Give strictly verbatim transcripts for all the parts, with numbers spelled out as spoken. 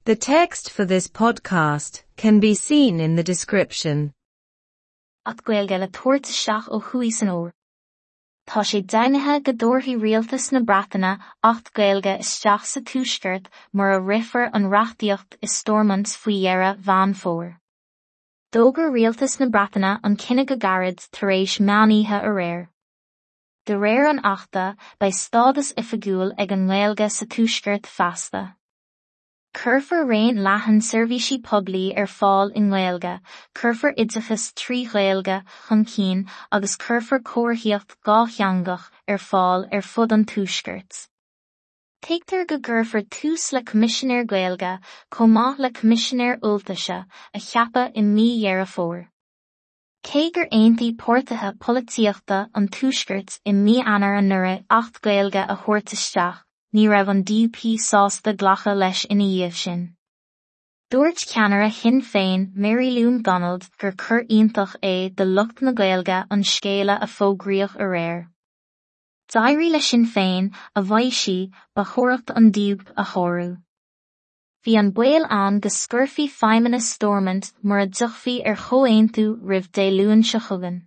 The text for this podcast can be seen in the description. Acht Gaeilge le tabhairt isteach ó thuaidh san fhómhar. Tá sé deimhnithe go dtabharfaidh Rialtas na Breataine Acht Gaeilge isteach sa Tuaisceart mura rithfear an reachtaíocht i Stormont faoi dheireadh Mheán Fómhair. D'fhógair Rialtas na Breataine an cinneadh go gairid tar éis meánoíche aréir. De réir an Achta, beidh stádas oifigiúil ag an nGaeilge sa Tuaisceart feasta. Cuirfear raon leathan seirbhísí poiblí ar fáil i nGaeilge, cuirfear oideachas trí Ghaeilge chun cinn agus cuirfear comharthaíocht dhátheangach ar fáil ar fud an Tuaiscirt. Tuigtear go gcuirfear tús le Coimisinéir Gaeilge chomh maith le Coimisinéir Ultaise a cheapadh i mí Dheireadh Fómhair. Cé gur aontaigh páirtithe polaitíochta an Tuaiscirt i mí Eanáir anuraidh Acht Gaeilge a thabhairt isteach, ní raibh an DUP sásta glacadh leis ina dhiaidh sin. Dúirt ceannaire Shinn Féin Mary Lou McDonald gur cor iontach é do lucht na Gaeilge an scéala a fógraíodh aréir. D'éirigh le Sinn Féin, a mhaígh sí, ba chóracht an DUP a shárú. Bhí an baol ann go scoirfí feidhmeannas Stormont mura dtiocfaí ar chomhaontú roimh Dé Luain seo chugainn.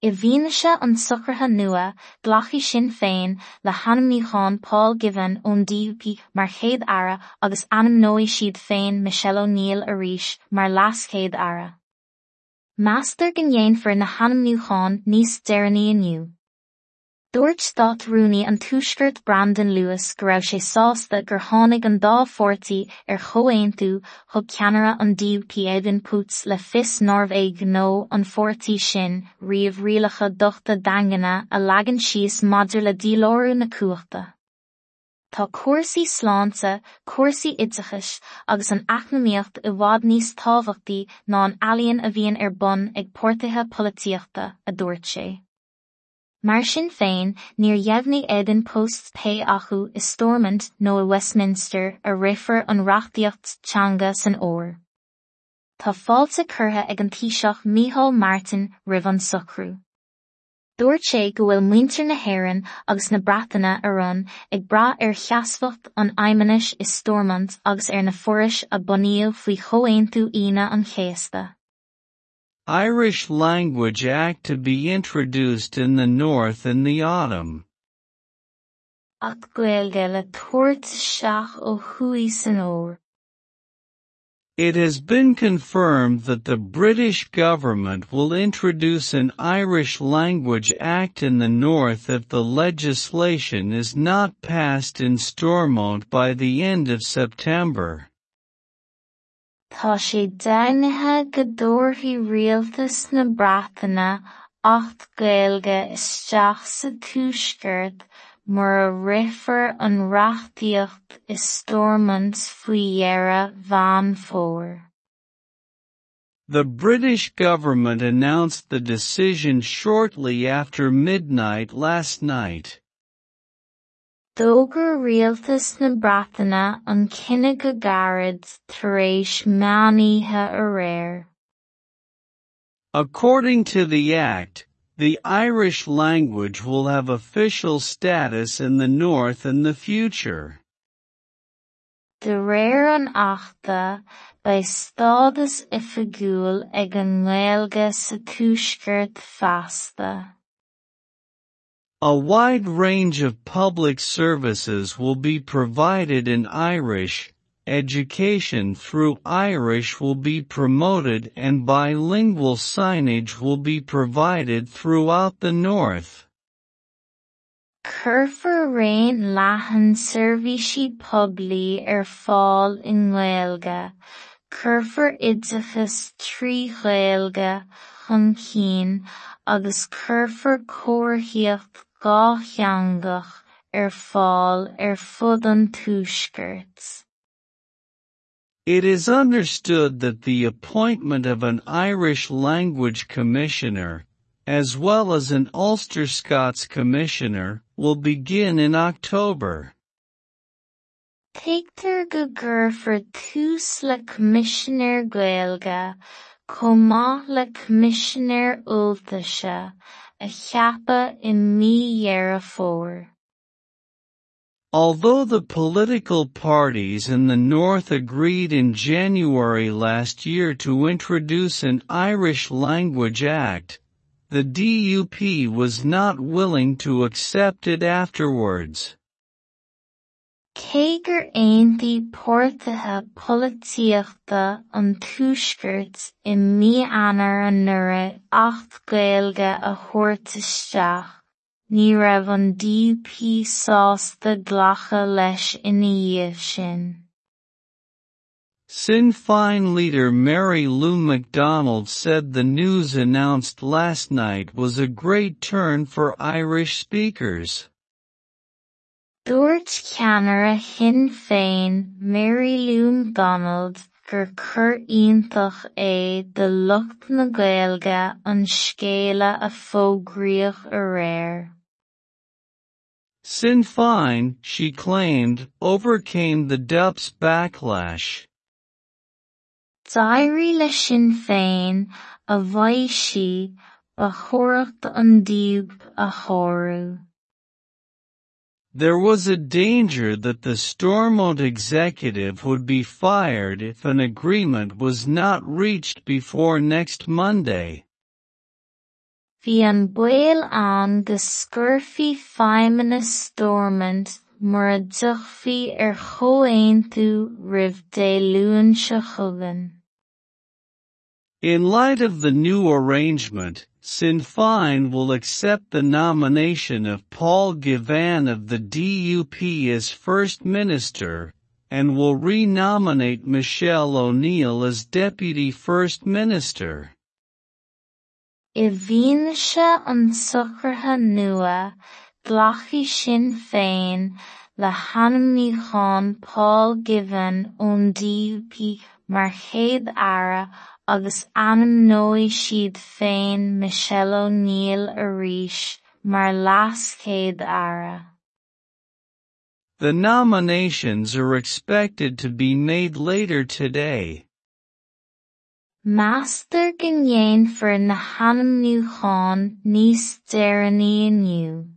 I bhfianaise an tsocraithe nua, glacfaidh Sinn Féin le hainmniúchán Paul Givan ón DUP mar chéad aire agus ainmneoidh siad féin Michelle O'Neill arís mar leas-chéad aire. Meastar go ndéanfar na hainmniúcháin níos deireanaí inniu. Dúirt Stát Rúnaí an Tuaiscirt Brandon Lewis go raibh sé sásta gur tháinig an dá pháirtí ar chomhaontú thug ceannaire an DUP Edwin Poots le fios nárbh é gnó an pháirtí sin riamh rialacha dochta daingne a leagan síos maidir le dílárú na cumhachta. Tá cúrsaí sláinte, cúrsaí oideachais agus an eacnamaíocht i bhfad níos tábhachtaí ná an ealaíon a bhíonn ar bun ag páirtithe polaitíochta, a dúirt sé. Mar sin féin, níor dheimhnigh Edwin Poots pé acu i Stormont nó i Westminster a rithfear an reachtaíocht teanga san fhómhar. Tá fáilte curtha ag an Taoiseach Micheál Martin roimh an socrú. Dúirt sé go bhfuil muintir na hÉireann agus na Breataine araon ag brath ar sheasmhacht an fheidhmeannais i Stormont agus ar na forais a bunaíodh faoi Chomhaontú Aoine an Chéasta. Irish Language Act to be introduced in the North in the autumn. Acht Gaeilge le tabhairt isteach ó thuaidh san fhómhar. It has been confirmed that the British government will introduce an Irish Language Act in the North if the legislation is not passed in Stormont by the end of September. Tá sé deimhnithe go dtabharfaidh Rialtas na Breataine Acht Gaeilge isteach sa Tuaisceart mura rithfear an reachtaíocht i Stormont faoi dheireadh Mheán Fómhair. The British government announced the decision shortly after midnight last night. D'fhógair Rialtas na Breataine an cinneadh go gairid tar éis meánoíche aréir. According to the Act, the Irish language will have official status in the North in the future. De réir an Achta, beidh stádas oifigiúil ag an nGaeilge sa Tuaisceart feasta. A wide range of public services will be provided in Irish, education through Irish will be promoted and bilingual signage will be provided throughout the North. Cuirfear raon leathan seirbhísí poiblí ar fáil i nGaeilge, cuirfear oideachas trí Ghaeilge chun cinn agus cuirfear comharthaíocht dhátheangach ar fáil ar fud an Tuaiscirt. It is understood that the appointment of an Irish language commissioner, as well as an Ulster Scots commissioner, will begin in October. Tuigtear go gcuirfear tús le Coimisinéir Gaeilge chomh maith le Coimisinéir Ultaise a cheapadh i mí Dheireadh Fómhair. Although the political parties in the North agreed in January last year to introduce an Irish Language Act, the D U P was not willing to accept it afterwards. Cé gur aontaigh páirtithe polaitíochta an Tuaiscirt i mí Eanáir anuraidh Acht Gaeilge a thabhairt isteach, ní raibh an D U P sásta glacadh leis ina dhiaidh sin. Sinn Féin leader Mary Lou McDonald said the news announced last night was a great turn for Irish speakers. Dúirt ceannaire Shinn Féin Mary Lou McDonald gur cor iontach é do lucht na Gaeilge an scéala a fógraíodh aréir. Sinn Féin, she claimed, overcame the D U P's backlash. D'éirigh le Sinn Féin, a mhaígh sí, ba chumhacht an D U P a shárú. There was a danger that the Stormont executive would be fired if an agreement was not reached before next Monday. Bhí an baol ann go scoirfí feidhmeanna Stormont mura dtiocfaí ar chomhaontú roimh Dé Luain seo chugainn. In light of the new arrangement, Sinn Féin will accept the nomination of Paul Givan of the D U P as First Minister, and will re-nominate Michelle O'Neill as Deputy First Minister. I bhfianaise an tsocraithe nua, glacfaidh Sinn Féin le hainmniúchán Paul Givan ón D U P mar chéad aire agus ainmneoidh siad féin Michelle O'Neill arís mar leas-chéad aire. The nominations are expected to be made later today. Meastar go ndéanfar na hainmniúcháin níos deireanaí inniu.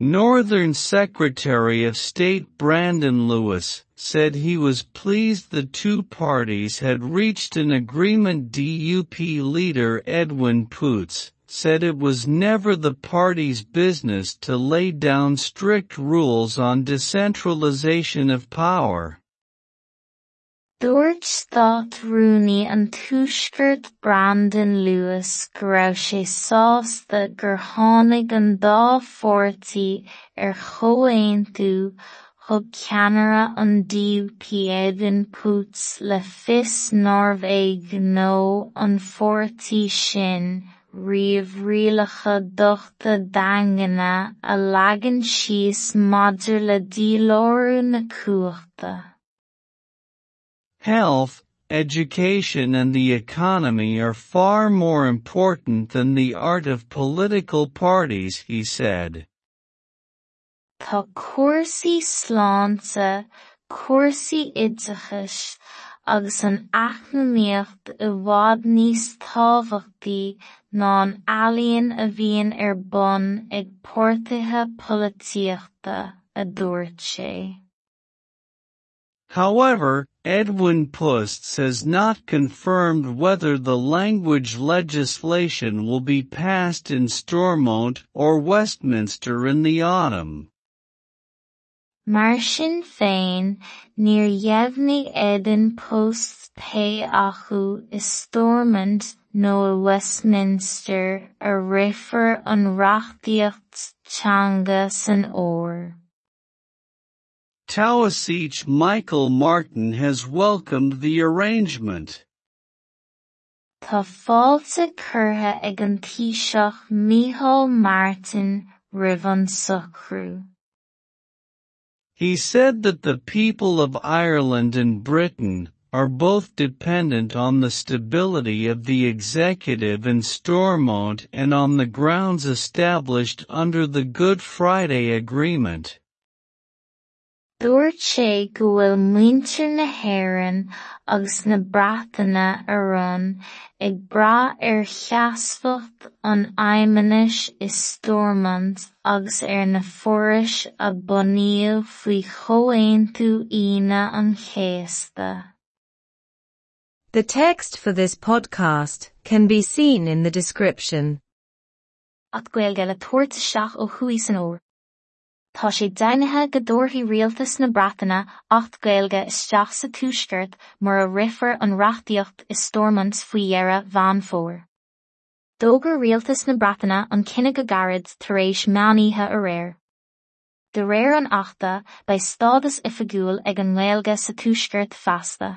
Northern Secretary of State Brandon Lewis said he was pleased the two parties had reached an agreement. D U P leader Edwin Poots said it was never the party's business to lay down strict rules on decentralization of power. Dúirt stát rúnaí an Tuaiscirt Brandon Lewis go raibh sé sásta gur tháinig an dá pháirtí ar chomhaontú thug ceannaire an D U P Edwin Poots le fios nárbh é gnó an pháirtí sin riamh rialacha dochta daingne a leagan síos maidir le dílárú na cumhachta. Health, education and the economy are far more important than the art of political parties, he said. Tá cúrsaí sláinte, cúrsaí oideachais agus an eacnamaíocht i bhfad níos tábhachtaí ná an ealaín a bhíonn ar bun ag páirtithe polaitíochta, a dúirt sé. However, Edwin Poots has not confirmed whether the language legislation will be passed in Stormont or Westminster in the autumn. Mar sin féin, níor dheimhnigh Edwin Poots pé acu i Stormont nó i Westminster a rithfear an reachtaíocht teanga san fhómhar. Taoiseach Michael Martin has welcomed the arrangement. Tá fáilte curtha ag an Taoiseach Micheál Martin roimh an socrú. He said that the people of Ireland and Britain are both dependent on the stability of the executive in Stormont and on the grounds established under the Good Friday Agreement. Dúirt sé go bhfuil muintir na hÉireann agus na Breataine araon ag brath ar sheasmhacht an Fheidhmeannais i Stormont agus ar na forais a bunaíodh faoi Chomhaontú Aoine an Chéasta. The text for this podcast can be seen in the description. Acht Gaeilge le tabhairt isteach ó thuaidh san fhómhar. Tá sé deimhnithe go dtabharfaidh Rialtas na Breataine Acht Gaeilge isteach sa Tuaisceart mura rithfear an reachtaíocht i Stormont faoi dheireadh Mheán Fómhair. D'fhógair Rialtas na Breataine an cinneadh go gairid tar éis meánoíche aréir. De réir an Achta, beidh stádas oifigiúil ag an nGaeilge sa Tuaisceart feasta.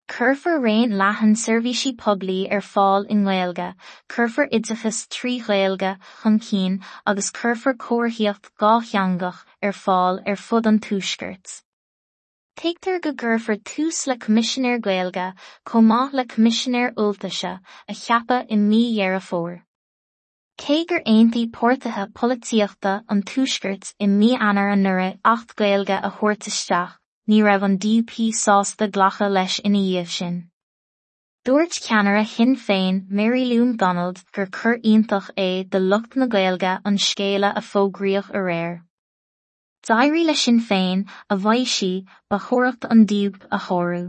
Cuirfear raon leathan seirbhísí poiblí ar fáil i nGaeilge, cuirfear oideachas trí Ghaeilge chun cinn agus cuirfear comharthaíocht dhátheangach ar fáil ar fud an Tuaiscirt. Tuigtear go gcuirfear tús le Coimisinéir Gaeilge chomh maith le Coimisinéir Ultaise a cheapadh i mí Dheireadh Fómhair. Cé gur aontaigh páirtithe polaitíochta an Tuaiscirt i mí Eanáir anuraidh Acht Gaeilge a thabhairt isteach, ní raibh an DUP sásta glacadh leis ina dhiaidh sin. Dúirt ceannaire Shinn Féin Mary Lou McDonald gur cor iontach é do lucht na Gaeilge an scéala a fógraíodh aréir. D'éirigh le Sinn Féin, a mhaígh sí, ba chóracht an DUP a shárú.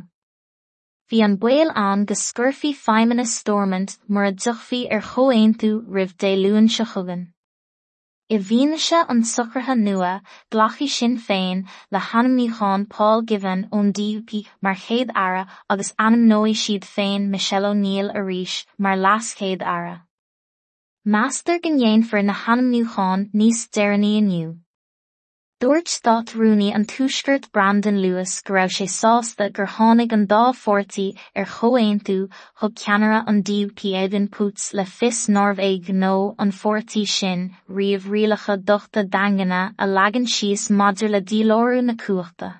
Bhí an baol ann go scoirfí feidhmeannas Stormont mura dtiocfaí ar chomhaontú roimh Dé Luain seo chugainn. I bhfianaise an tsocraithe nua, glacfaidh Sinn Féin le hainmniúchán Paul Givan ón DUP mar chéad aire agus ainmneoidh siad féin Michelle O'Neill arís mar leas-chéad aire. Meastar go ndéanfar na hainmniúcháin níos deireanaí inniu. Dúirt Stát-Rúnaí an Tuaiscirt Brandon Lewis go raibh sé sásta gur tháinig an dá pháirtí ar chomhaontú thug ceannaire an DUP Edwin Poots le fios nárbh é gnó an pháirtí sin riamh rialacha dochta daingne a leagan síos maidir le dílárú na cumhachta.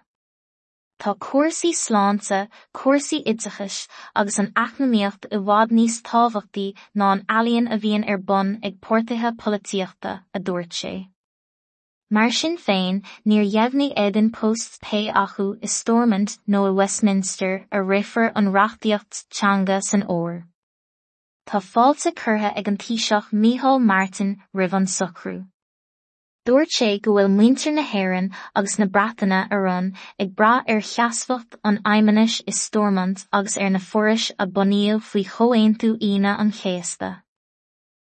Tá cúrsaí sláinte, cúrsaí oideachais agus an eacnamaíocht i bhfad níos tábhachtaí ná an ealaíon a bhíonn ar bun ag páirtithe polaitíochta, a dúirt sé. Mar sin féin, níor dheimhnigh Edwin Poots pé acu i Stormont nó i Westminster a rithfear an reachtaíocht teanga san fhómhar. Tá fáilte curtha ag an Taoiseach Micheál Martin roimh an socrú. Dúirt sé go bhfuil muintir na hÉireann agus na Breataine araon ag brath ar sheasmhacht an Fheidhmeannais i Stormont agus ar na forais a bunaíodh faoi Chomhaontú Aoine an Chéasta.